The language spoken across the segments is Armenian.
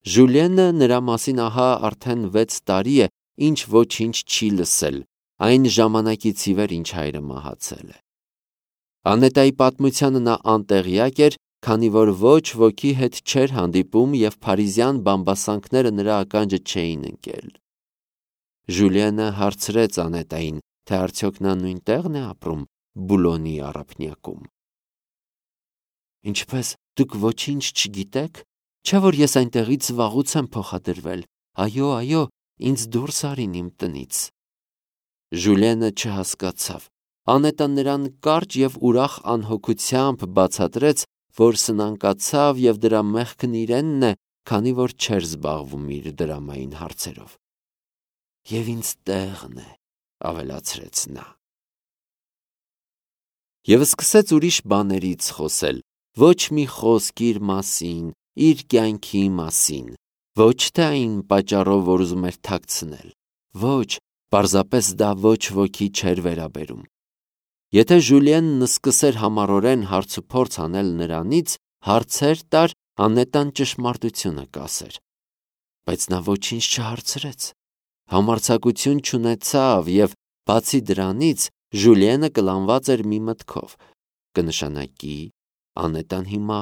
Ժուլիենը նրա մասին ահա արդեն 6 տարի է, ինչ ոչինչ չի լսել, այն ժամանակից ի վեր, ինչ հայրը մահացել է։ Անետայի պատմությանը նա անտեղյակ էր, քանի որ ոչ ոքի հետ չէր հանդիպում և փարիզյան բամբասանքները նրա ականջը չէին ընկել։ Ժուլիենը հարցրեց Անետային, թե արդյոք նա նույն տեղն է ապրում Բուլոնի առափնյակում։ Ինչպես դուք ոչինչ չգիտեք, չէ՞ որ ես այնտեղից վաղուց եմ փոխադրվել։ Այո, ինձ դուրս արին իմ տնից։ Ժուլիենը չհասկացավ։ Անետան նրան կարճ և ուրախ անհոգությամբ բացատրեց, որ սնանկացավ և դրա մեղքն իրենն է, քանի որ չէր զբաղվում իր դրամային հարցերով։ Եվ ինձ տեղն է, ավելացրեց նա։ Եվ սկսեց ուրիշ բաներից խոսել, ոչ մի խոսք իր մասին, իր կյանքի մասին, ոչ թե այն պատճառով, որ ուզում էր թաքցնել, ոչ, պարզապես դա ոչ ոքի չէր վերաբերում։ Եթե Ժուլիենն սկսեր համառորեն հարցուփորձ անել նրանից, հարցեր տար, Անետան ճշմարտությունը կասեր։ Բայց նա ոչինչ չհարցրեց, համարձակություն չունեցավ և, բացի դրանից, Ժուլիենը կլանված էր մի մտքով. կնշանակի Անետան հիմա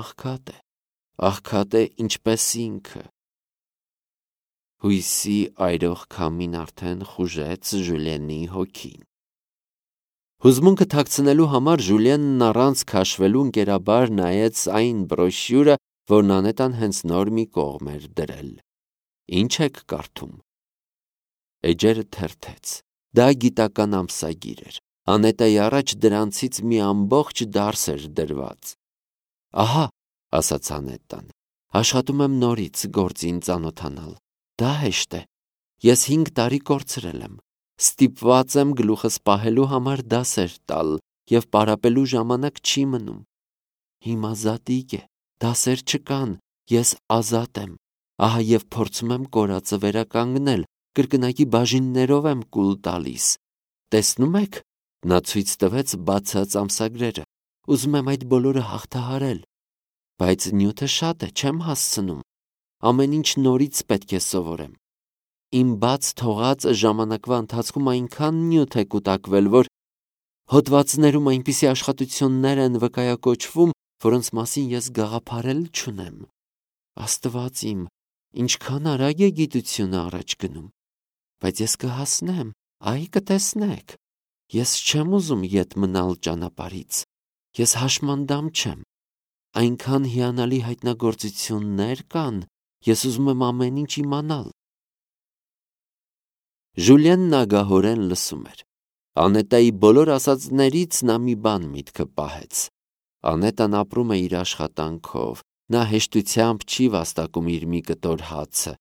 աղքատ է ինչպես ինքը։ Հույսի այրող քամին արդեն խուժեց Ժուլիենի հոգին։ Հուզմունքը թաքցնելու համար Ժուլիենն առանց քաշվելու ընկերաբար նայեց այն բրոշյուրը, որն Անետան հենց նոր մի կողմ էր դրել։ Ինչ եք կարդում։ Էջերը թերթեց։ Դա գիտական ամսագիր էր։ Անետայի առաջ դրանցից մի ամբողջ դարս էր դրված։ Ահա, ասաց Անետան, աշխատում եմ նորից գործին ծանոթանալ։ Դա հեշտ է։ Ես 5 տարի կորցրել եմ։ Ստիպված եմ գլուխս պահելու համար դասեր տալ և պարապելու ժամանակ չի մնում։ Հիմա զատիկ է, դասեր չկան, ես ազատ եմ։ Ահա և փորձում եմ կորածը վերականգնել, կրկնակի բաժիններով եմ կուլ տալիս։ Տեսնում եք, նա ցույց տվեց բացած ամսագրերը։ Ուզում եմ այդ բոլորը հաղթահարել։ Բայց նյութը շատ է, չեմ հասցնում։ Ամեն ինչ նորից պետք է սովորեմ։ Իմ բաց թողած ժամանակվա ընթացքում այնքան նյութ է կուտակվել, որ հոդվածներում այնպիսի աշխատություններ են վկայակոչվում, որոնց մասին ես գաղափար էլ չունեմ։ Աստված իմ, ինչքան արագ է գիտությունը առաջ գնում։ Բայց ես կհասնեմ, այ կտեսնեք։ Ես չեմ ուզում ետ մնալ ճանապարհից։ Ես հաշմանդամ չեմ։ Այնքան հիանալի հայտնագործություններ կան, ես ուզում եմ ամեն ինչ իմանալ։ Ժուլիենն ագահորեն լսում էր։ Անետայի բոլոր ասածներից նա մի բան միտքը պահեց։ Անետան ապրում է իր աշխատանքով, նա հեշտությամբ չի վաստակում իր մի կտոր հացը,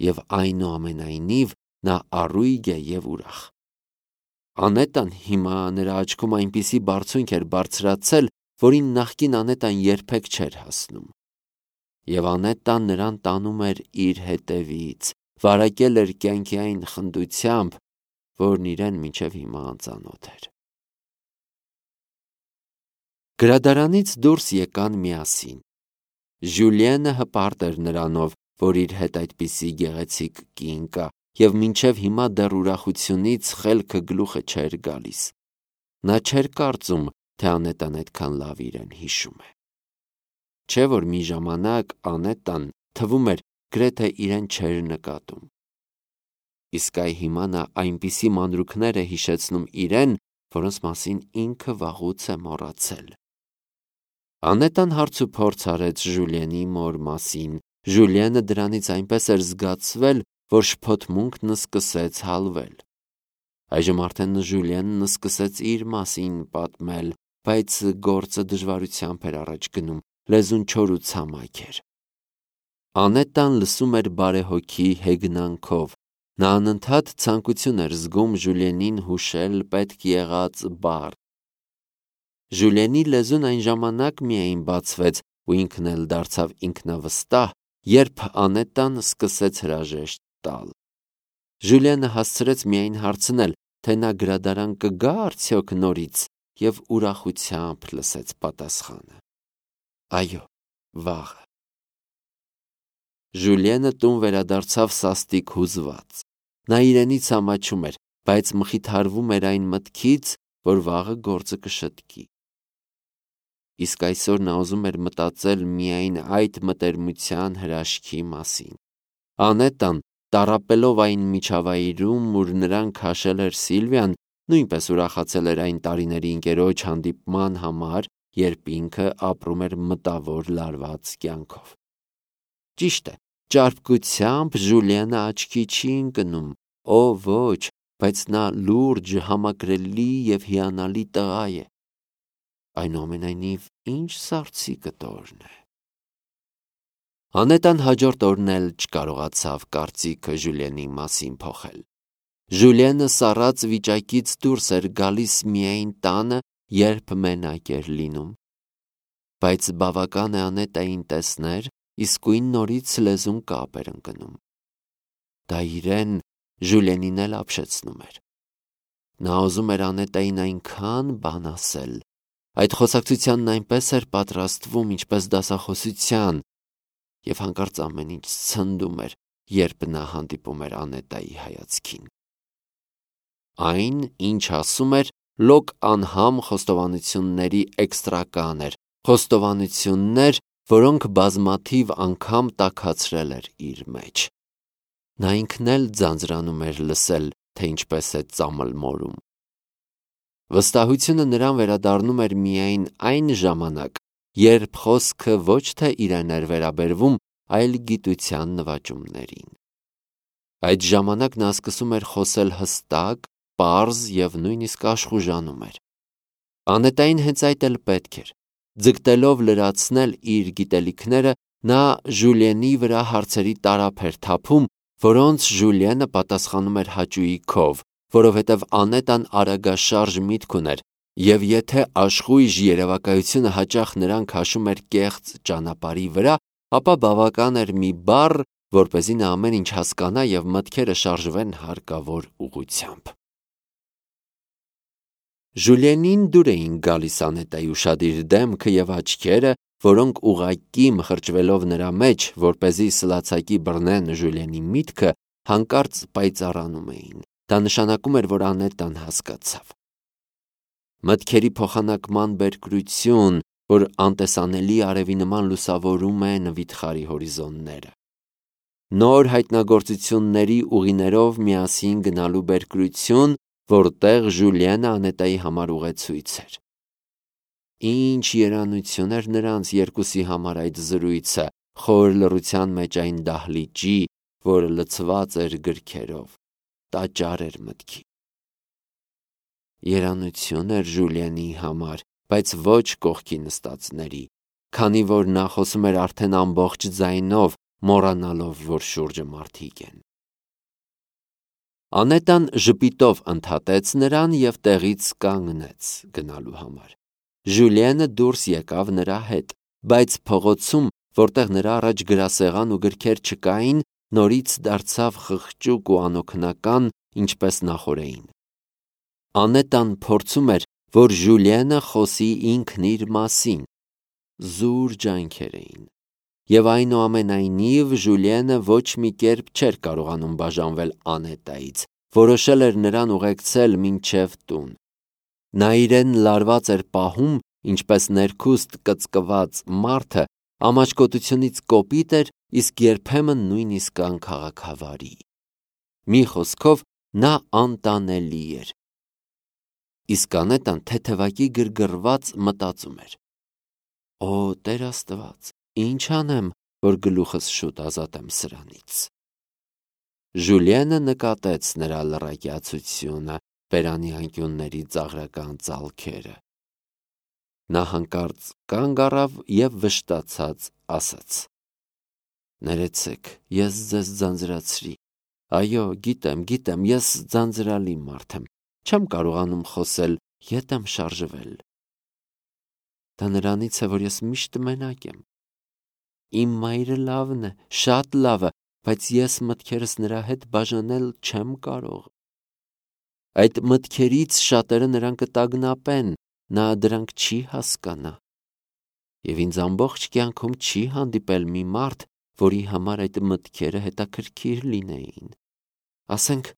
և այնուամենայնիվ նա առույգ է և ուրախ։ Անետան հիմա նրա աչքում այնպիսի բարձունք էր բարձրացել, որին նախկին Անետան երբեք չէր հասնում։ Եվ Անետան նրան տանում էր իր հետևից, վարակել էր կյանքի այն խնդությամբ, որն իրեն մինչև հիմա անծանոթ էր։ Գրադարանից դուրս եկան միասին։ Ժուլիենը հպարտ էր նրանով, որ իր հետ այդպիսի գեղեցիկ կին կա, և մինչև հիմա դեռ ուրախությունից խելքը գլուխը չէր գալիս։ Նա չէր կարծում, թե Անետան այդքան լավ իրեն հիշում է։ Չէ՞ որ մի ժամանակ Անետան թվում էր գրեթե իրեն չէր նկատում։ Իսկ այ հիմա նա այնպիսի մանրուքներ է հիշեցնում իրեն, որոնց մասին ինքը վաղուց է մոռացել։ Անետան հարցուփորձ արեց Ժուլիենի մոր մասին։ Ժուլիենը դրանից այնպես էր զգացվել, որ շփոթմունքն սկսեց հալվել։ Այժմ արդեն Ժուլիենն սկսեց իր մասին պատմել, բայց գործը դժվարությամբ էր առաջ գնում, լեզուն չոր ու ցամաք էր։ Անետան լսում էր բարեհոգի հեգնանքով։ Նա անընդհատ ցանկություն էր զգում Ժուլիենին հուշել պետք եղած բառ։ Ժուլիենի լեզուն այն ժամանակ միայն բացվեց, ու ինքն էլ դարձավ ինքնավստահ, երբ Անետան սկսեց հրաժեշտ տալ։ Ժուլիենը հասցրեց միայն հարցնել, թե նա գրադարան կգա արդյոք նորից, և ուրախությամբ լսեց պատասխանը. Այո, վաղը։ Ժուլիենը տուն վերադարձավ սաստիկ հուզված։ Նա իրենից ամաչում էր, բայց մխիթարվում էր այն մտքից, որ վաղը գործը կշտկի։ Իսկ այսօր նա ուզում էր մտածել միայն այդ մտերմության հրաշքի մասին։ Անետան, տառապելով այն միջավայրում, ուր նրան քաշել էր Սիլվիան, նույնպես ուրախացել էր այն տարիների ընկերոջ հանդիպման համար, երբ ինքը ապրում էր մտավոր լարված կյանքով։ Ճիշտ է, ճարպկությամբ Ժուլիենը աչքի չի ընկնում, ոչ, բայց նա լուրջ, համակրելի և հիանալի տղա է։ Այնուամենայնիվ, ինչ սառցիկը տորն է։ Անետան հաջորդ օրն էլ չկարողացավ կարծիքը Ժուլիենի մասին փոխել։ Ժուլիենը սառած վիճակից դուրս էր գալիս միայն տանը, երբ մենակ էր լինում։ Բայց բավական է Անետային տեսներ, իսկույն նորից լեզուն կապ էր ընկնում։ Դա իրեն Ժուլիենին էլ ապշեցնում էր։ Նա ուզում էր Անետային այնքան բան ասել, այդ խոսակցությանն այնպես էր պատրաստվում, ինչպես դասախոսության, և հանկարծ ամեն ինչ ցնդում էր, երբ նա հանդիպում էր Անետայի հայացքին։ Այն, ինչ ասում էր, լոկ անհամ խոստովանությունների էքստրական էր, խոստովանություններ, որոնք բազմաթիվ անգամ տաքացրել էր իր մեջ։ Նա ինքն էլ ձանձրանում էր լսել, թե ինչպես է ծամլմորում։ Վստահությունը նրան վերադառնում էր միայն այն ժամանակ, երբ խոսքը ոչ թե իրեն էր վերաբերվում, այլ գիտության նվաճումներին։ Այդ ժամանակ նա սկսում էր խոսել հստակ, պարզ և նույնիսկ աշխուժանում էր։ Անետային հենց այդ էլ պետք էր։ Ձգտելով լրացնել իր գիտելիքները, նա Ժուլիենի վրա հարցերի տարափ էր թափում, որոնց Ժուլիենը պատասխանում էր հաճույքով, որովհետև Անետան արագաշարժ միտք ուներ, և եթե աշխույժ երևակայությունը հաճախ նրան քաշում էր կեղծ ճանապարհի վրա, ապա բավական էր մի բառ, որպեսզի նա ամեն ինչ հասկանա և մտքերը շարժվեն հարկավոր ուղղությամբ։ Ժուլիենին դուր էին գալիս Անետայի ուշադիր դեմքը և աչքերը, որոնք ուղղակի մխրճվելով նրա մեջ, որպեսզի սլացակի բռնեն Ժուլիենի միտքը, հանկարծ պայծառանում էին։ Դա նշանակում էր, որ Անետան հասկացավ։ Մտքերի փոխանակման բերկրություն, որ անտեսանելի արևի նման լուսավորում են վիթխարի հորիզոնները։ Նոր հայտնագործությունների ուղիներով միասին գնալու բերկրություն, որտեղ Ժուլիենը Անետայի համար ուղեցույց էր։ Ինչ երանություն էր նրանց երկուսի համար այդ զրույցը, խոր լռության մեջ այն դահլիճի, որը լցված էր գրքերով, տաճար էր մտքի։ Երանություն էր Ժուլիենի համար, բայց ոչ կողքի նստածների, քանի որ նա խոսում էր արդեն ամբողջ ձայնով, մոռանալով, որ շուրջը մարդիկ են։ Անետան ժպիտով ընդհատեց նրան և տեղից կանգնեց գնալու համար։ Ժուլիենը դուրս եկավ նրա հետ, բայց փողոցում, որտեղ նրա առաջ գրասեղան ու գրքեր չկային, նորից դարձավ խղճուկ ու անօգնական, ինչպես նախօրեին։ Անետան փորձում էր, որ Ժուլիենը խոսի ինքն իր մասին։ Զուր ջանքեր էին։ Եվ այնուամենայնիվ Ժուլիենը ոչ մի կերպ չէր կարողանում բաժանվել Անետայից, որոշել էր նրան ուղեկցել մինչև տուն։ Նա իրեն լարված էր պահում, ինչպես ներքուստ կծկված մարդը ամաչկոտությունից կոպիտ էր, իսկ երբեմն նույնիսկ անքաղաքավարի։ Մի խոսքով, նա անտանելի էր։ Իսկ Անետան թեթևակի գրգռված մտածում էր. «Օ, Տեր Աստված, ինչ անեմ, որ գլուխս շուտ ազատեմ սրանից»։ Ժուլիենը նկատեց նրա լռակյացությունը, բերանի անկյունների ծաղրական ծալքերը։ Նա հանկարծ կանգ առավ և վշտացած ասաց. «Ներեցեք, ես ձեզ ձանձրացրի։ Այո, գիտեմ, ես ձանձրալի մարդ եմ, չեմ կարողանում խոսել, ետ եմ շարժվել։ Դա նրանից է, որ ես միշտ մենակ եմ։ Իմ մայրը լավն է, շատ լավը, բայց ես մտքերս նրա հետ բաժանել չեմ կարող։ Այդ մտքերից շատերը նրան կտագնապեն, նա դրանք չի հասկանա։ Եվ ինձ ամբողջ կյանքում չի հանդիպել մի մարդ, որի համար այդ մտքերը հետաքրքիր լինեին։ Ասենք,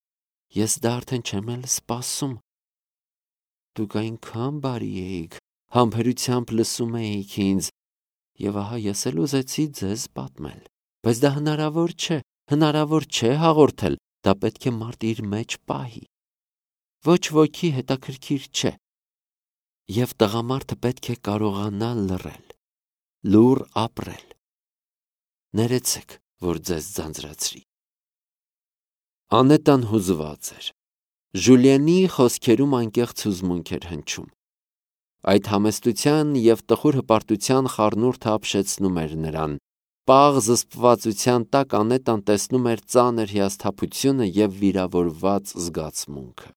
ես դա արդեն չեմ էլ սպասում։ Դուք այնքան բարի էիք, համբերությամբ լսում էիք ինձ, եւ ահա ես էլ ուզեցի ձեզ պատմել։ Բայց դա հնարավոր չէ հաղորդել, դա պետք է մարդ իր մեջ պահի։ Ոչ ոքի հետաքրքիր չէ։ Եվ տղամարդը պետք է կարողանա լռել, լուռ ապրել։ Ներեցեք, որ ձեզ ձանձրացրի։ Անետան հուզված էր։ Ժուլիենի խոսքերում անկեղծ հուզմունք էր հնչում։ Այդ համեստության և տխուր հպարտության խառնուրդը ապշեցնում էր նրան։ Պաղ զսպվածության տակ Անետան տեսնում էր ծանր հիասթափությունը և վիրավորված զգացմունքը։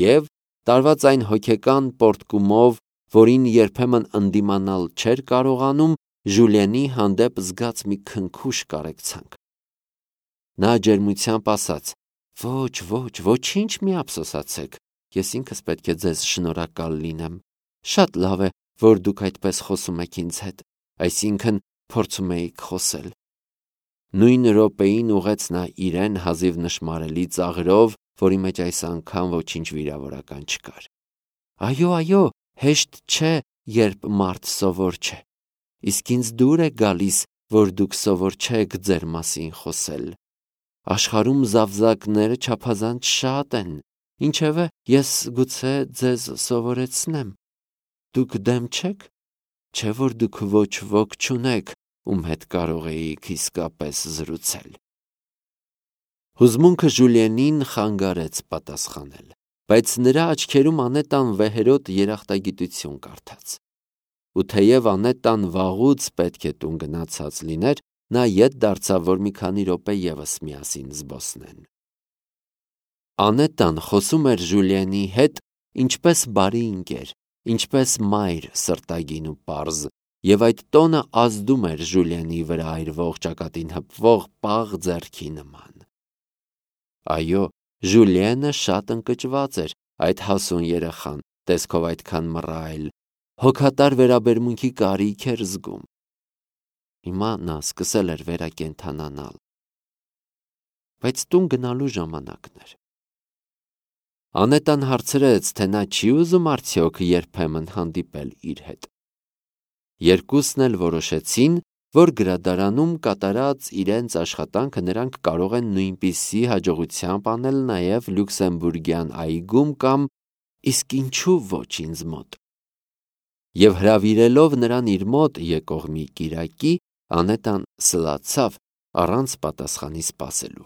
Եվ տարված այն հոգեկան պոռթկումով, որին երբեմն ընդդիմանալ չէր կարողանում, Ժուլիենի հանդեպ զգաց մի քնքուշ կարեկցանք։ Նա ջերմությամբ ասաց. Ոչինչ մի ափսոսացեք, ես ինքս պետք է ձեզ շնորհակալ լինեմ։ Շատ լավ է, որ դուք այդպես խոսում եք ինձ հետ, այսինքն փորձում էիք խոսել։ Նույն րոպեին ուղեց նա իրեն հազիվ նշմարելի ծաղրով, որի մեջ այս անգամ ոչինչ վիրավորական չկար։ Այո, հեշտ չէ, երբ մարդ սովոր չէ։ Իսկ ինձ դուր է գալիս, որ դուք սովոր չեք ձեր մասին խոսել։ Աշխարհում զավզակները չափազանց շատ են, ինչևէ, ես գուցե ձեզ սովորեցնեմ։ Դուք դեմ չեք, չէ՞ որ դուք ոչ ոք չունեք, ում հետ կարող էիք իսկապես զրուցել։ Հուզմունքը Ժուլիենին խանգարեց պատասխանել, բայց նրա աչքերում Անետան վեհերոտ երախտագիտություն կարդաց։ Ու թեև Անետան վաղուց պետք է տուն գնացած լիներ, նա ետ դարձավ, որ մի քանի րոպե ևս միասին զբոսնեն։ Անետան խոսում էր Ժուլիենի հետ ինչպես բարի ընկեր, ինչպես մայր սրտագին ու պարզ, եւ այդ տոնը ազդում էր Ժուլիենի վրա այրվող ճակատին հպվող պաղ ձեռքի նման։ Այո, Ժուլիենը շատ ընկճված էր, այդ հասուն երեխան, տեսքով այդքան մռայլ, հոգատար վերաբերմունքի կարիք էր զգում։ Հիմա նա սկսել էր վերակենդանանալ։ Բայց տուն գնալու ժամանակն էր։ Անետան հարցրեց, թե նա չի ուզում արդյոք երբեմն հանդիպել իր հետ։ Երկուսն էլ որոշեցին, որ գրադարանում կատարած իրենց աշխատանքը նրանք կարող են նույնպիսի հաջողությամբ անել նաև Լյուքսեմբուրգյան այգում կամ իսկ ինչու ոչ ինձ մոտ։ Եվ հրավիրելով նրան իր մոտ եկող մի կիրակի, Անետան սլացավ առանց պատասխանի սպասելու։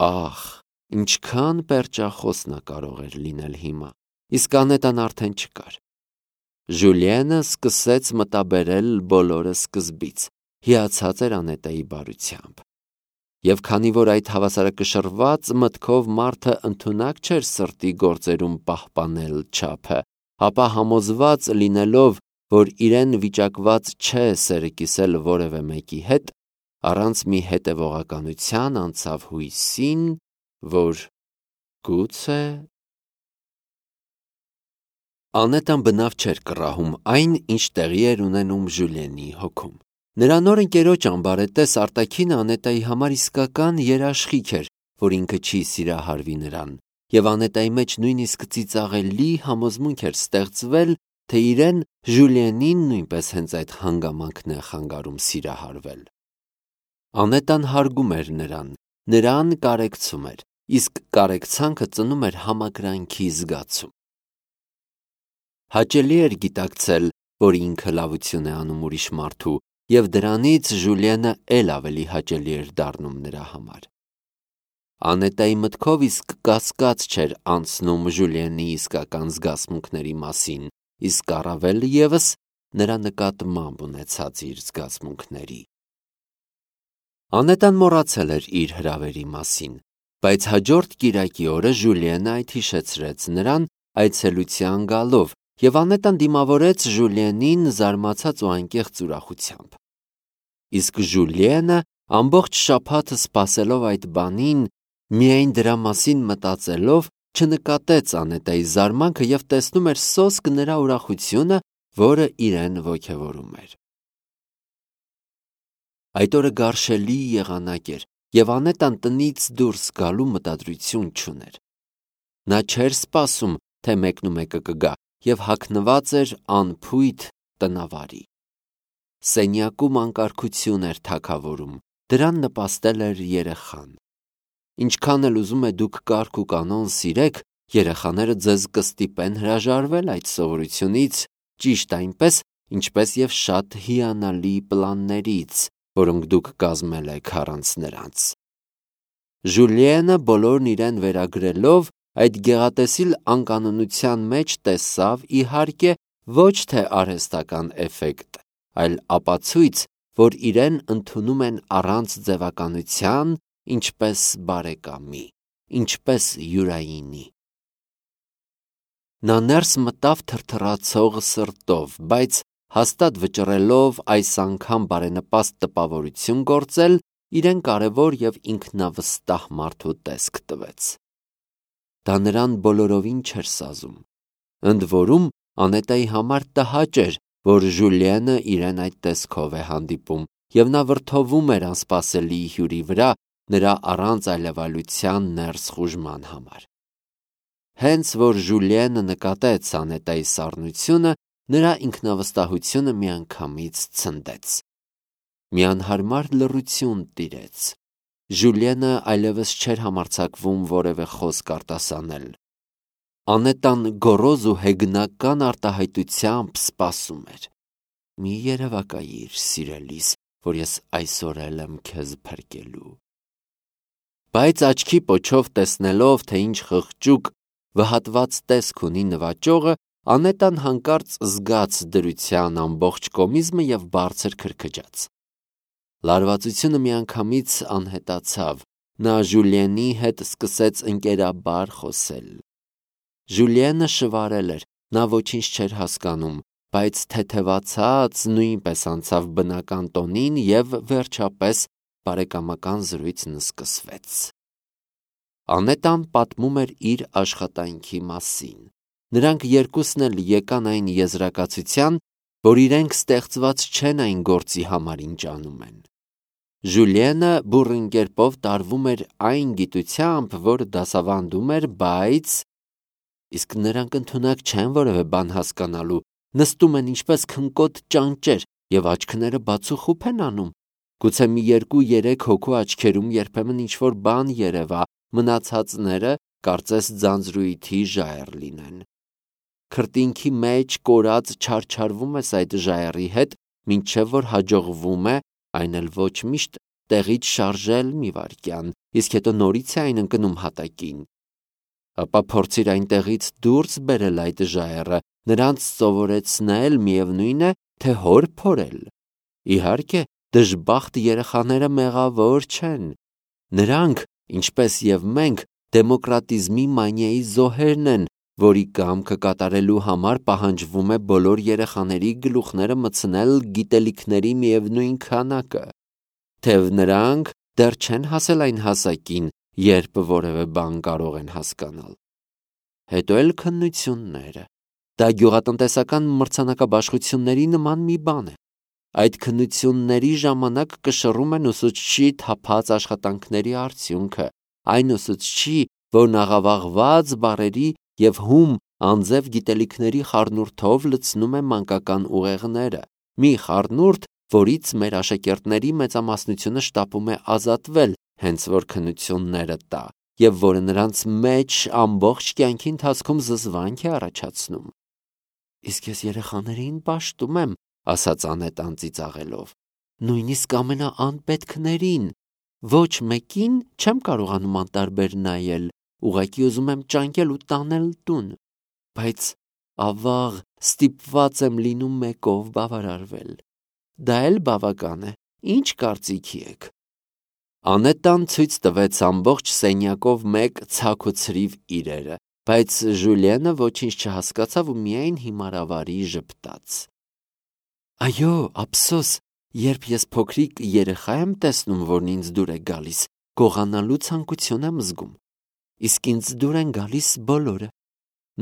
Ահ, ինչքան պերճախոս նա կարող էր լինել հիմա, իսկ Անետան արդեն չկար։ Ժուլիենը սկսեց մտաբերել բոլորը սկզբից, հիացած էր Անետայի բարությամբ։ Եվ քանի որ այդ հավասարակշռված մտքով մարդը ընդունակ չէր սրտի գործերում պահպանել չափը, ապա համոզված լինելով, որ իրեն վիճակված չէ սերը կիսել որևէ մեկի հետ, առանց մի հետևողականության անցավ հույսին, որ գուցե… Անետան բնավ չէր կռահում այն, ինչ տեղի էր ունենում Ժուլիենի հոգում։ Նրա նոր ընկերոջ ամբարետես Արտաքինը Անետայի համար իսկական երաշխիք էր, որ ինքը չի սիրահարվի նրան, եւ Անետայի մեջ նույնիսկ ծիծաղելի համոզմունք էր ստեղծվել, թե իրեն Ժուլիենին նույնպես հենց այդ հանգամանքն է խանգարում սիրահարվել։ Անետան հարգում էր նրան կարեկցում էր, իսկ կարեկցանքը ծնում էր համակրանքի զգացում։ Հաճելի էր գիտակցել, որ ինքը լավություն է անում ուրիշ մարդու, եւ դրանից Ժուլիենը էլ ավելի հաճելի էր դառնում նրա համար։ Անետայի մտքով իսկ կասկած չէր անցնում Ժուլիենի իսկական զգացմունքների մասին, իսկ առավել ևս նրա նկատմամբ ունեցած իր զգացմունքների։ Անետան մոռացել էր իր հրավերի մասին, բայց հաջորդ կիրակի օրը Ժուլիենը այդ հիշեցրեց նրան այցելության գալով, եւ Անետան դիմավորեց Ժուլիենին զարմացած ու անկեղծ ուրախությամբ։ Իսկ Ժուլիենը ամբողջ շաբաթը սպասելով այդ բանին, միայն դրա մասին մտածելով, չնկատեց Անետայի զարմանքը եւ տեսնում էր սոսկ նրա ուրախությունը, որը իրեն ոգևորում էր։ Այդ օրը գարշելի եղանակ էր, եւ Անետան տնից դուրս գալու մտադրություն չուներ։ Նա չէր սպասում, թե մեկնումեկը կգա, եւ հագնված էր անփույթ տնավարի։ Սենյակում անկարգություն էր թագավորում, դրան նպաստել էր երեխան։ Ինչքան էլ ուզում է դուք կարգ ու կանոն սիրեք, երեխաները ձեզ կստիպեն հրաժարվել այդ սովորությունից, ճիշտ այնպես, ինչպես եւ շատ հիանալի պլաններից, որոնք դուք կազմել եք առանց նրանց։ Ժուլիենը բոլորն իրեն վերագրելով այդ գեղատեսիլ անկանոնության մեջ տեսավ, իհարկե, ոչ թե արհեստական էֆեկտ, այլ ապացույց, որ իրեն ընդունում են առանց ձևականության, ինչպես բարեկամի, ինչպես յուրայինի։ Նա ներս մտավ թրթռացող սրտով, բայց հաստատ վճռելով այս անգամ բարենպաստ տպավորություն գործել, իրեն կարևոր եւ ինքնավստահ մարդու տեսք տվեց։ Դա նրան բոլորովին չէր սազում։ Ընդ որում, Անետայի համար տհաճ էր, որ Ժուլիենը իրեն այդ տեսքով է հանդիպում, եւ նա վրդովում էր անսպասելի հյուրի վրա, նրա առանց այլևալության ներս խուժման համար։ Հենց որ Ժուլիենը նկատեց Անետայի սառնությունը, նրա ինքնավստահությունը միանգամից ցնդեց։ Մի անհարմար լռություն տիրեց։ Ժուլիենը այլևս չէր համարձակվում որևէ խոսք արտասանել։ Անետան գոռոզ ու հեգնական արտահայտությամբ սպասում էր։ Մի երևակայիր, սիրելիս, որ ես այսօր էլ եմ քեզ փրկելու։ Բայց աչքի պոչով տեսնելով, թե ինչ խղճուկ, վհատված տեսք ունի նվաճողը, Անետան հանկարծ զգաց դրության ամբողջ կոմիզմը եւ բարձր քրքջաց։ Լարվածությունը միանգամից անհետացավ, նա Ժուլիենի հետ սկսեց ընկերաբար խոսել։ Ժուլիենը շվարել էր, նա ոչինչ չէր հասկանում, բայց թեթևացած նույնպես անցավ բնական տոնին եւ վերջապես բարեկամական զրույցն սկսվեց։ Անետան պատմում էր իր աշխատանքի մասին։ Նրանք երկուսն էլ եկան այն եզրակացության, որ իրենք ստեղծված չեն այն գործի համար, ինչ անում են։ Ժուլիենը բուռն կերպով տարվում էր այն գիտությամբ, որ դասավանդում էր, բայց իսկ նրանք ընդունակ չեն որևէ բան հասկանալու, նստում են ինչպես քնկոտ ճանճեր եւ աչքները բացուխուփ են անում։ Գուցե մի 2-3 հոգու աչքերում երբեմն ինչ-որ բան երևա, մնացածները կարծես ձանձրույթի ժայռ լինեն։ Քրտինքի մեջ կորած չարչարվում ես այդ ժայռի հետ, մինչև որ հաջողվում է, այն էլ ոչ միշտ, տեղից շարժել մի վայրկյան, իսկ հետո նորից է այն ընկնում հատակին։ Ապա փորձիր այնտեղից դուրս բերել այդ ժայռը, նրանց սովորեցնել միևնույն է, թե հոր փորել։ Իհարկե, դժբախտ երեխաները մեղավոր չեն։ Նրանք, ինչպես եւ մենք, դեմոկրատիզմի մանիայի զոհերն են, որի կամքը կատարելու համար պահանջվում է բոլոր երեխաների գլուխները մտցնել գիտելիքների միևնույն քանակը, թեև նրանք դեռ չեն հասել այն հասակին, երբ որևէ բան կարող են հասկանալ։ Հետո էլ քննությունները։ Դա գյուղատնտեսական մրցանակաբաշխությունների նման մի բան է։ Այդ քննությունների ժամանակ կշռում են ուսուցչի թափած աշխատանքների արդյունքը, այն ուսուցչի, որն աղավաղված բառերի եւ հում անձև գիտելիքների խառնուրդով լցնում է մանկական ուղեղները, մի խառնուրդ, որից մեր աշակերտների մեծամասնությունը շտապում է ազատվել, հենց որ քննությունները տա, եւ որը նրանց մեջ ամբողջ կյանքի ընթացքում զզվանք է առաջացնում։ Իսկ ես երեխաներին պաշտում եմ, ասաց Անետան ծիծաղելով, նույնիսկ ամենաանպետքներին, ոչ մեկին չեմ կարողանում անտարբեր նայել, ուղղակի ուզում եմ ճանկել ու տանել տուն, բայց ավաղ ստիպված եմ լինում մեկով բավարարվել։ Դա էլ բավական է, ինչ կարծիքի եք։ Անետան ցույց տվեց ամբողջ սենյակով մեկ ցակ ու ցրիվ իրերը, բայց Ժուլիենը ոչինչ չհասկացավ ու միայն հիմարավարի ժպտաց։ Այո, ափսոս, երբ ես փոքրիկ երեխա եմ տեսնում, որն ինձ դուր է գալիս, գողանալու ցանկություն եմ զգում, իսկ ինձ դուր են գալիս բոլորը։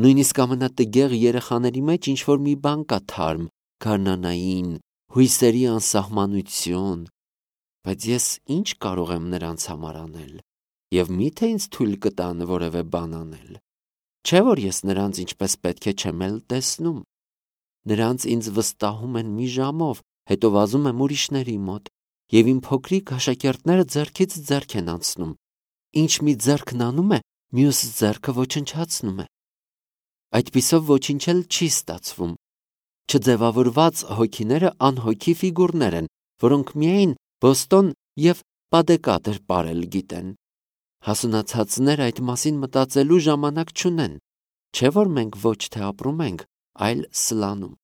Նույնիսկ ամենատգեղ երեխաների մեջ ինչ-որ մի բան կա թարմ, գարնանային, հույսերի անսահմանություն։ բայց ես ինչ կարող եմ նրանց համար անել, և միթե ինձ թույլ կտան որևէ բան անել, չէ՞ որ ես նրանց ինչպես պետք է չեմ էլ տեսնում, նրանց ինձ վստահում են մի ժամով, հետո վազում եմ ուրիշների մոտ, և իմ փոքրիկ աշակերտները ձեռքից ձեռք են անցնում, ինչ մի ձեռքն անում է, մյուս ձեռքը ոչնչացնում է, այդպիսով ոչինչ էլ չի ստացվում, չձևավորված հոգիները անհոգի ֆիգուրներ են, որոնք միայն Բոստոն և Պադեկատեր պարել գիտեն, հասունացածները այդ մասին մտածելու ժամանակ չունեն, չէ՞ որ մենք ոչ թե ապրում ենք, այլ սլանում,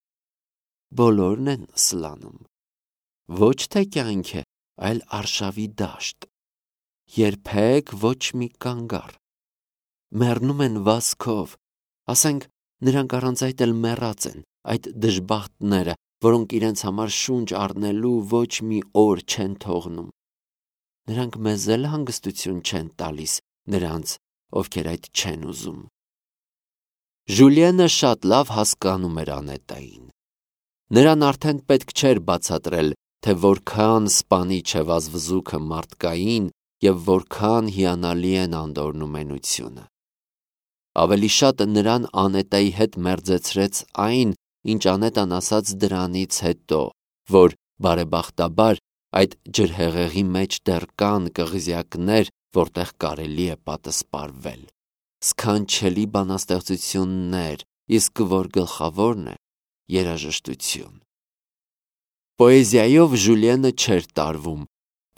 բոլորն են սլանում, ոչ թե կյանք է, այլ արշավի դաշտ, երբեք ոչ մի կանգառ, մեռնում են վազքով, ասենք նրանք առանց այդ էլ մեռած են, այդ դժբախտները, որոնք իրենց համար շունչ առնելու ոչ մի օր չեն թողնում, նրանք մեզ էլ հանգստություն չեն տալիս, նրանց, ովքեր այդ չեն ուզում։ Ժուլիենը շատ լավ հասկանում էր Անետային, նրան արդեն պետք չէր բացատրել, թե որքան սպանիչ է վազվզուքը մարդկային և որքան հիանալի են անդորն ու մենությունը։ Ավելի շատ նրան Անետայի հետ մերձեցրեց այն, ինչ Անետան ասաց դրանից հետո, որ բարեբախտաբար այդ ջրհեղեղի մեջ դեռ կան կղզյակներ, որտեղ կարելի է պատսպարվել, սքանչելի բանաստեղծություններ, իսկ որ գլխավորն է, երաժշտություն։ Պոեզիայով Ժուլիենը չէր տարվում,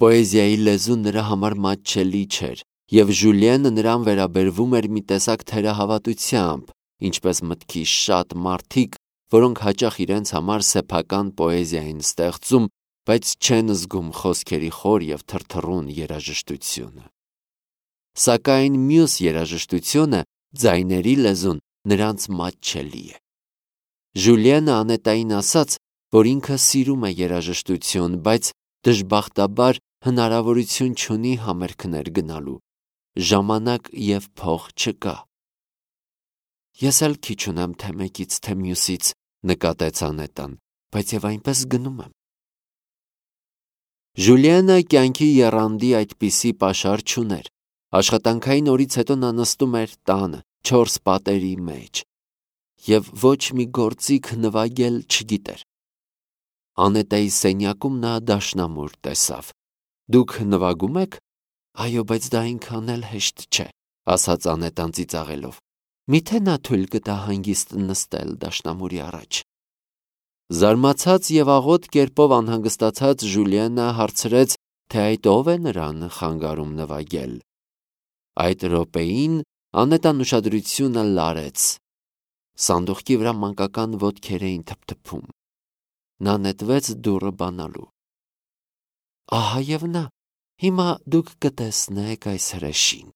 պոեզիայի լեզուն նրա համար մատչելի չէր, և Ժուլիենը նրան վերաբերվում էր մի տեսակ թերահավատությամբ, ինչպես մտքի շատ մարդիկ, որոնք հաճախ իրենց համար սեփական պոեզիա են ստեղծում, բայց չեն զգում խոսքերի խոր և թրթռուն երաժշտությունը։ Սակայն մյուս երաժշտությունը, ձայների լեզուն, նրանց մատչելի է։ Ժուլիենը Անետային ասաց, որ ինքը սիրում է երաժշտություն, բայց դժբախտաբար հնարավորություն չունի համերգներ գնալու, ժամանակ և փող չկա։ Ես էլ քիչ ունեմ թե մեկից, թե մյուսից, նկատեց Անետան, բայց և այնպես գնում եմ։ Ժուլիենը կյանքի եռանդի այդպիսի պաշար չուներ, աշխատանքային օրից հետո նա նստում էր տանը, 4 պատերի մեջ, և ոչ մի գործիք նվագել չգիտեր։ Անետայի սենյակում նա դաշնամուր տեսավ։ Դուք նվագում եք։ Այո, բայց դա այնքան էլ հեշտ չէ, ասաց Անետան ծիծաղելով։ Միթե նա թույլ կտա հանգիստ նստել դաշնամուրի առաջ։ Զարմացած և աղոտ կերպով անհանգստացած Ժուլիենը հարցրեց, թե այդ ով է նրան խանգարում նվագել։ Այդ րոպեին Անետան ուշադրությունը լարեց։ Սանդուղքի վրա մանկական ոտքեր էին թփթփում։ Նա նետվեց դուռը բանալու։ Ահա և նա, հիմա դուք կտեսնեք այս հրեշին։